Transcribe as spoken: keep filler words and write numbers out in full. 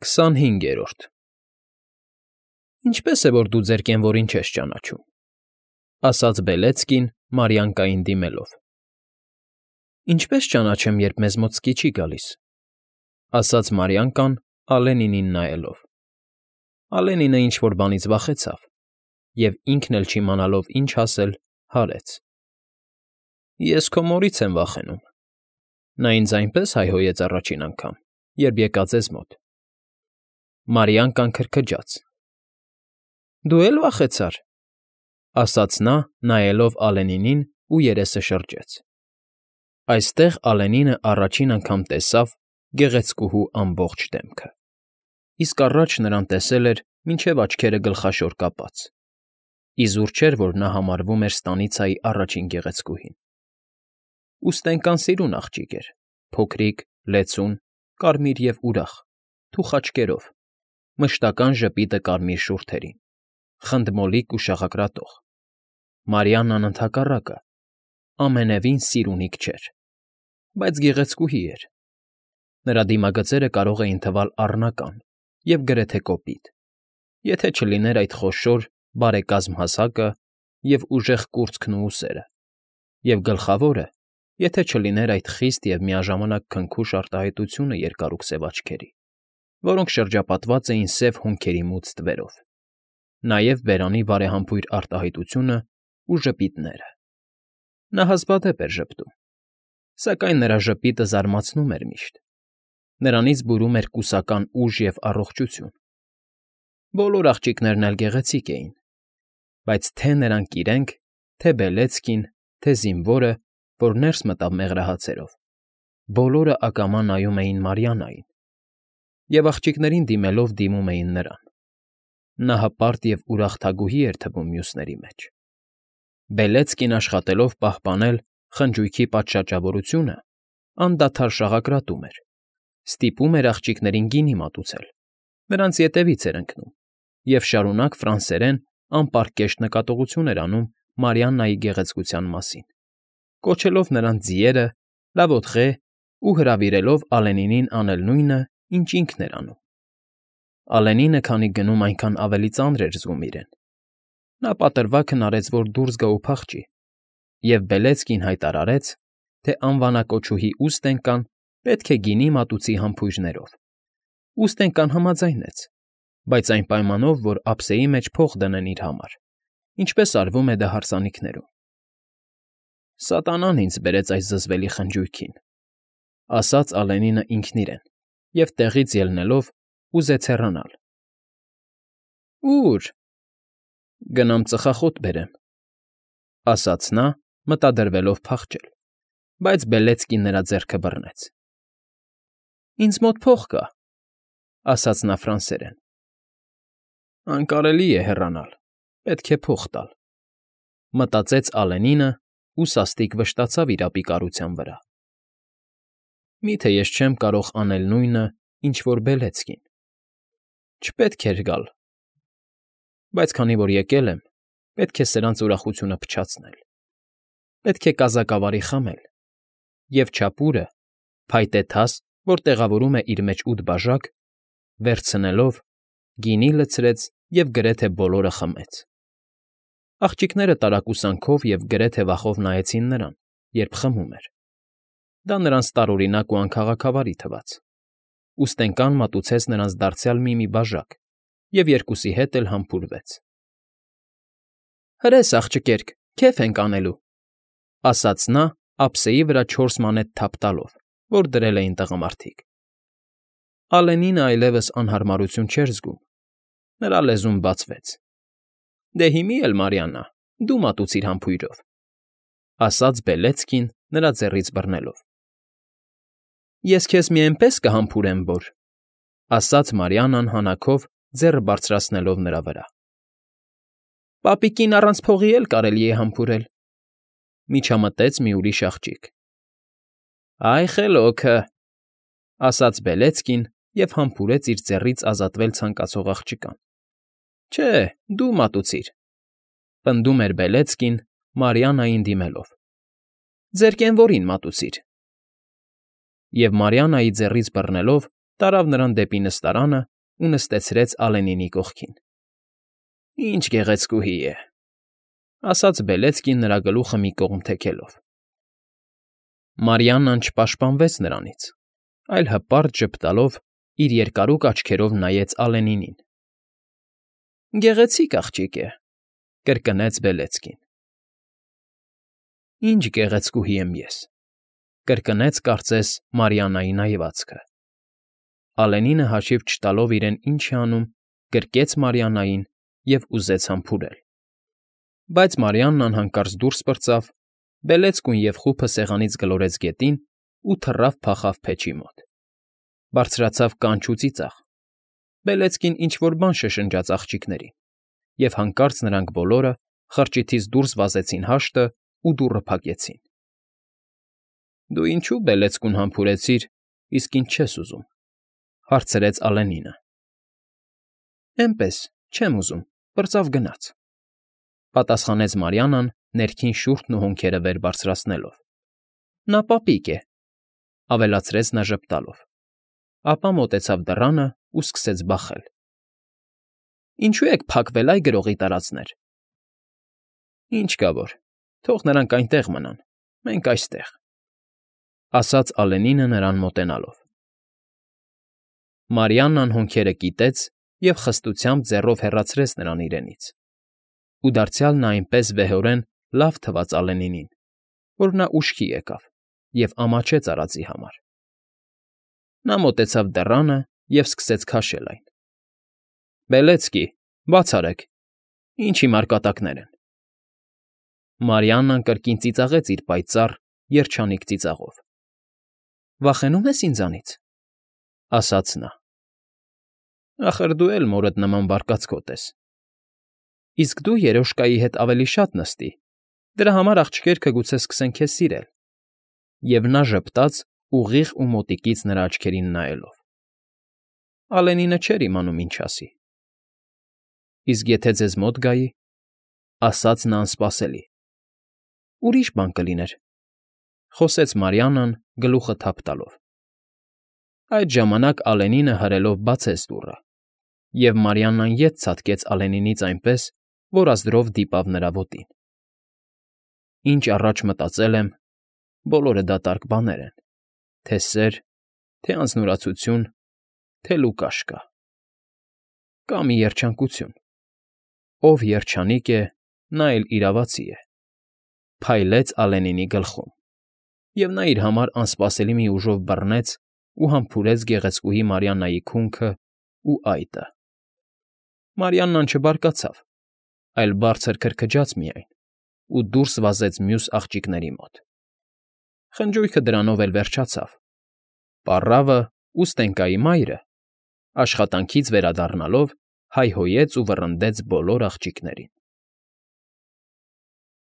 Քսանհինգերորդ Ինչպե՞ս է, որ դու ձեր կենվորին չես ճանաչում,֊ ասաց Բելեցկին, Մարիանկային դիմելով։ ֊ Ինչպե՞ս ճանաչեմ, երբ մեզ մոտ սկի չի գալիս,֊ ասաց Մարիանկան, Ալենինին նայելով։ Ալենինը ինչ֊որ բանից վախեցավ և, ինքն էլ չիմանալով ինչ ասել, հարեց. ֊ Ես քո մորից եմ վախենում. նա ինձ այնպես հայհոյեց առաջին անգամ, երբ եկա ձեզ մոտ… Մարիանկան քրքջաց։ ֊ Դու է՞լ վախեցար,֊ ասաց նա, նայելով Ալենինին ու երեսը շրջեց։ Այստեղ Ալենինը առաջին անգամ տեսավ գեղեցկուհու ամբողջ դեմքը, իսկ առաջ նրան տեսել էր մինչև աչքերը գլխաշոր կապած, իզուր չէր, որ նա համարվում էր ստանիցայի առաջին գեղեցկուհին։ Ուստենկան սիրուն աղջիկ էր, փոքրիկ, լեցուն, կարմիր և ուրախ, թուխ աչքերով, մշտական ժպիտը կարմիր շուրթերին, խնդմոլիկ ու շաղակրատող։ Մարիաննան ընդհակառակը, ամենևին սիրունիկ չէր, բայց գեղեցկուհի էր։ Նրա դիմագծերը կարող էին թվալ առնական և գրեթե կոպիտ, եթե չլիներ այդ խոշոր, բարեկազմ հասակը և ուժեղ կուրծքն ու ուսերը, և գլխավորը, եթե չլիներ այդ խիստ և միաժամանակ քնքուշ արտահայտությունը երկարուք սև աչքերի, որոնք շրջապատված էին սև հոնքերի մուգ ստվերով, նաև բերանի բարեհամբույր արտահայտությունն ու ժպիտները։ Նա հազվադեպ էր ժպտում, սակայն նրա ժպիտը զարմացնում էր միշտ, նրանից բուրում էր կուսական ուժ և առողջություն։ Բոլոր աղջիկներն էլ գեղեցիկ էին, բայց թե՛ նրանք իրենք, թե՛ Բելեցկին, թե՛ զինվորը, որ ներս մտավ մեղրահացերով, բոլորը ակամա նայում էին Մարիաննային և, աղջիկներին դիմելով, դիմում էին նրան։ Նա հպարտ և ուրախ թագուհի էր թվում մյուսների մեջ։ Բելեցկին աշխատելով պահպանել խնջույքի պատշաճավորությունը, անդադար շաղակրատում էր, ստիպում էր աղջիկներին գինի մատուցել, նրանց ետևից էր ընկնում և շարունակ ֆրանսերեն անպարկեշտ նկատողություն էր անում Մարիաննայի գեղեցկության մասին, կոչելով նրանց ձիերը, լավոթղե ու հրավիրելով Ալենինին անել նույնը, ինչ ինքն էր անում։ Ալենինը, քանի գնում այնքան ավելի ծանր էր զգում իրեն, նա պատրվակն արեց, որ դուրս գա ու փախչի, և Բելեցկին հայտարարեց, թե անվանակոչուհի Ուստենկան պետք է գինի մատուցի համբույրներով։ Ուստենկան համաձայնեց, բայց այն պայմանով, որ ափսեի մեջ փող դնեն իր համար, ինչպես արվում է դա հարսանիքներում։ Սատանան ինձ բերեց այս զզվելի խնջույքին,֊ ասաց Ալենինը ինքն իրեն և, տեղից ելնելով, ուզեց հեռանալ։ ո՞ւր։ Գնամ ծխախոտ բերեմ,֊ ասաց նա, մտադրվելով փախչել, բայց Բելեցկին նրա ձեռքը բռնեց։ ֊ Ինձ մոտ փող կա,֊ ասաց նա ֆրանսերեն։ Անկարելի է հեռանալ, պետք է փող տալ,֊ մտածեց Ալենինը ու սաստիկ վշտացավ իր ապիկարության վրա։ Միթե ես չեմ կարող անել նույնը, ինչ որ Բելեցկին… Չպետք էր գալ, բայց քանի որ եկել եմ, պետք է սրանց ուրախությունը փչացնել, պետք է կազակավարի խմել, և չապուրը, փայտե թաս, որ տեղավորում է իր մեջ ութ բաժակ, վերցնելով, գինի լցրեց և գրեթե բոլորը խմեց։ Աղջիկները տարակուսանքով և գրեթե վախով նայեցին նրան, երբ խմում էր։ Դա նրանց տարօրինակ ու անքաղաքավարի թվաց։ Ուստենկան մատուցեց նրանց դարձյալ մի֊մի բաժակ և երկուսի հետ էլ համբուրվեց։ ֊ Հրես, աղջկերք, քեֆ ենք անելու,֊ ասաց նա, ափսեի վրա չորս մանետ թափ տալով, որ դրել էին տղամարդիկ։ Ալենինը այլևս անհարմարություն չէր զգում, նրա լեզուն բացվեց։ ֊ Դե հիմի էլ, Մարիաննա, դու մատուցիր համբույրով,֊ ասաց Բելեցկին, նրա ձեռքից բռնելով։ ֊ Ես քեզ մի էնպես կհամբուրեմ, որ…֊ ասաց Մարիաննան հանաքով, ձեռը բարձրացնելով նրա վրա։ ֊ Պապիկին առանց փողի էլ կարելի է համբուրել,֊ միջամտեց մի ուրիշ աղջիկ։ ֊ Այ խելոքը,֊ ասաց Բելեցկին և համբուրեց իր ձեռքից ազատվել ցանկացող աղջկան։ ֊ Չէ, դու մատուցիր,֊ պնդում էր Բելեցկին, Մարիաննային դիմելով,֊ ձեր կենվորին մատուցիր։ Եվ Մարիաննայի ձեռքից բռնելով, տարավ նրան դեպի նստարանը ու նստեցրեց Ալենինի կողքին։ ֊ Ինչ գեղեցկուհի է,֊ ասաց Բելեցկին նրա գլուխը մի կողմ թեքելով։ Մարիաննան չպաշտպանվեց նրանից, այլ հպարտ ժպտալով իր երկարուկ աչքերով նայեց Ալենինին։ ֊ Գեղեցիկ աղջիկ է,֊ կրկնեց Բելեցկին։ ֊ Ինչ գեղեցկուհի եմ ես,֊ կրկնեց կարծես Մարիաննայի նայվածքը։ Ալենինը հաշիվ չտալով իրեն ինչ է անում, գրկեց Մարիաննային և ուզեց համբուրել։ Բայց Մարիաննան հանկարծ դուրս պրծավ, Բելեցկուն և խուփը սեղանից գլորեց գետին ու թռավ փախավ փեչի մոտ։ Բարձրացավ կանչ ու ծիծաղ։ Բելեցկին ինչ֊որ բան շշնջաց աղջիկներին, և հանկարծ նրանք բոլորը խրճիթից դուրս վազեցին հաշտը ու դուռը փակեցին։ ֊ Դու ինչո՞ւ Բելեցկուն համբուրեցիր, իսկ ինձ չես ուզում,֊ հարցրեց Ալենինը։ ֊ Էնպես, չեմ ուզում, պրծավ գնաց,֊ պատասխանեց Մարիաննան ներքին շուրջն ու հոնքերը վեր բարձրացնելով։ ֊ Նա պապիկ է,֊ ավելացրեց նա ժպտալով, ապա մոտեցավ դռանը ու սկսեց բախել։ ֊ Ինչո՞ւ եք փակվել, այ գրողի տարածներ։ ֊ Ինչ կա որ, թող նրանք այնտեղ մնան, մենք այստեղ,֊ ասաց Ալենինը նրան մոտենալով։ Մարիաննան հոնքերը կիտեց և խստությամբ ձեռով հեռացրեց նրան իրենից, ու դարձյալ նա այնպես վեհորեն լավ թվաց Ալենինին, որ նա ուշքի եկավ և ամաչեց արածի համար։ Նա մոտեցավ դռանը և սկսեց քաշել այն։ ֊ Բելեցկի, բաց արեք, ինչ հիմար կատակներ են։ Մարիաննան կրկին ծիծաղեց իր պայծառ, երջանիկ ծիծաղով։ ֊ Վախենո՞ւմ ես ինձանից,֊ ասաց նա։ ֊ Ախր դու էլ մորդ նման բարկացկոտ ես։ ֊ Իսկ դու երոշկայի հետ ավելի շատ նստի, դրա համար աղջիկներքը գուցե սկսեն քեզ սիրել,֊ և նա ժպտաց ուղիղ ու մոտիկից նրա աչքերին նայելով։ Ալենինը չէր իմանում ինչ ասի։ ֊ Իսկ եթե ձեզ մոտ գայի,֊ ասաց նա անսպասելի։ ֊ Ուրիշ բան կլիներ,֊ խոսեց Մարիաննան գլուխը թափ տալով։ Այդ ժամանակ Ալենինը հրելով բացեց դուռը, և Մարիաննան ետ ցատկեց Ալենինից այնպես, որ ազդրով դիպավ նրա ոտին։ Ինչ առաջ մտածել եմ, բոլորը դատարկ բաներ են, թե սեր, թե անձնուրացություն, թե Լուկաշկա։ Կա մի երջանկություն. ով երջանիկ է, նա էլ իրավացի է,֊ փայլեց Ալենինի գլխում, և նա իր համար անսպասելի մի ուժով բռնեց ու համբուրեց գեղեցկուհի Մարիաննայի քունքն ու այտը։ Մարիաննան չբարկացավ, այլ բարձր քրքջաց միայն ու դուրս վազեց մյուս աղջիկների մոտ։ Խնջույքը դրանով էլ վերջացավ։ Պառավը ու Ստենկայի մայրը, աշխատանքից վերադառնալով, հայհոյեց ու վռնդեց բոլոր աղջիկներին։